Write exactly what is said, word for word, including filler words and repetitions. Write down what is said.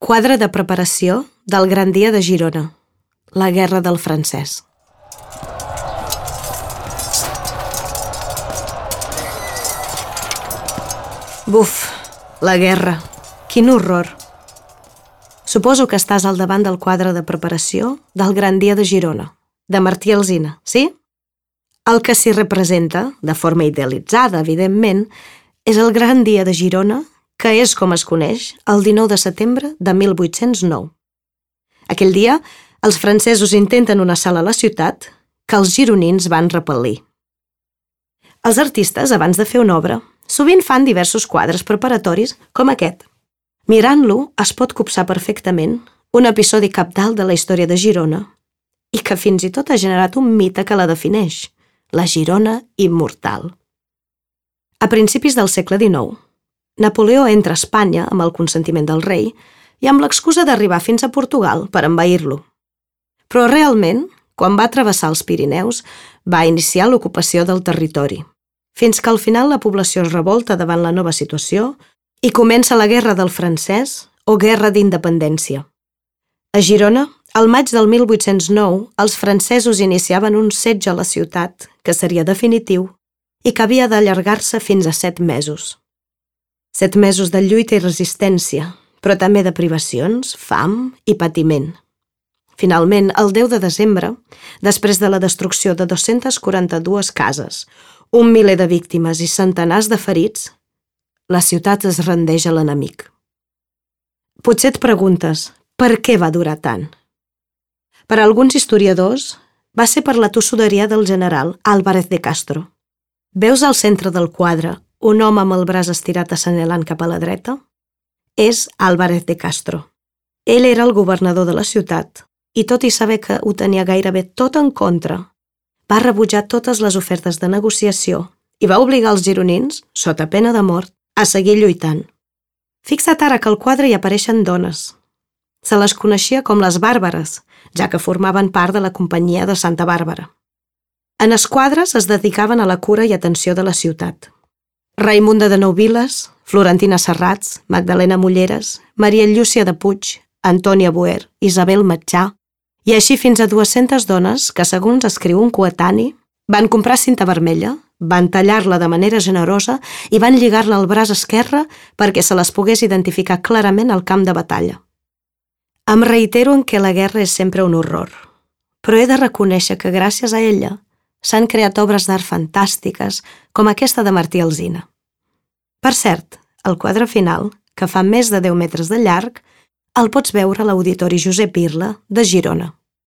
Quadre de preparació del Gran Dia de Girona, la Guerra del Francès. Buf, la guerra. Quin horror. Suposo que estàs al davant del quadre de preparació del Gran Dia de Girona, de Martí Alsina, sí? El que s'hi representa, de forma idealitzada, evidentment, és el Gran Dia de Girona, que és com es coneix el dinou de setembre de mil vuit-cents nou. Aquell dia, els francesos intenten un assalt a la ciutat que els gironins van repel·lir. Els artistes, abans de fer una obra, sovint fan diversos quadres preparatoris com aquest. Mirant-lo, es pot copsar perfectament un episodi cabdal de la història de Girona i que fins i tot ha generat un mite que la defineix, la Girona immortal. A principis del segle dinou, Napoleó entra a Espanya amb el consentiment del rei i amb l'excusa d'arribar fins a Portugal per envair-lo. Però realment, quan va travessar els Pirineus, va iniciar l'ocupació del territori, fins que al final la població es revolta davant la nova situació i comença la Guerra del Francès o Guerra d'Independència. A Girona, al maig del mil vuit-cents nou, els francesos iniciaven un setge a la ciutat que seria definitiu i que havia d'allargar-se fins a set mesos. Set mesos de lluita i resistència, però també de privacions, fam i patiment. Finalment, el deu de desembre, després de la destrucció de dos-centes quaranta-dues cases, un miler de víctimes i centenars de ferits, la ciutat es rendeix a l'enemic. Potser et preguntes, per què va durar tant? Per a alguns historiadors, va ser per la tossuderia del general Álvarez de Castro. Veus al centre del quadre un home amb el braç estirat assenyalant cap a la dreta? És Álvarez de Castro. Ell era el governador de la ciutat i tot i saber que ho tenia gairebé tot en contra, va rebutjar totes les ofertes de negociació i va obligar els gironins, sota pena de mort, a seguir lluitant. Fixa't ara que al quadre hi apareixen dones. Se les coneixia com les bàrbares, ja que formaven part de la companyia de Santa Bàrbara. En els quadres es dedicaven a la cura i atenció de la ciutat. Raimunda de Nouviles, Florentina Serrats, Magdalena Mulleres, Maria Llúcia de Puig, Antònia Boer, Isabel Matjà, i així fins a dues-centes dones que, segons escriu un coetani, van comprar cinta vermella, van tallar-la de manera generosa i van lligar-la al braç esquerre perquè se les pogués identificar clarament al camp de batalla. Em reitero en què la guerra és sempre un horror, però he de reconèixer que gràcies a ella s'han creat obres d'art fantàstiques com aquesta de Martí Alsina. Per cert, el quadre final, que fa més de deu metres de llarg, el pots veure a l'Auditori Josep Irla de Girona.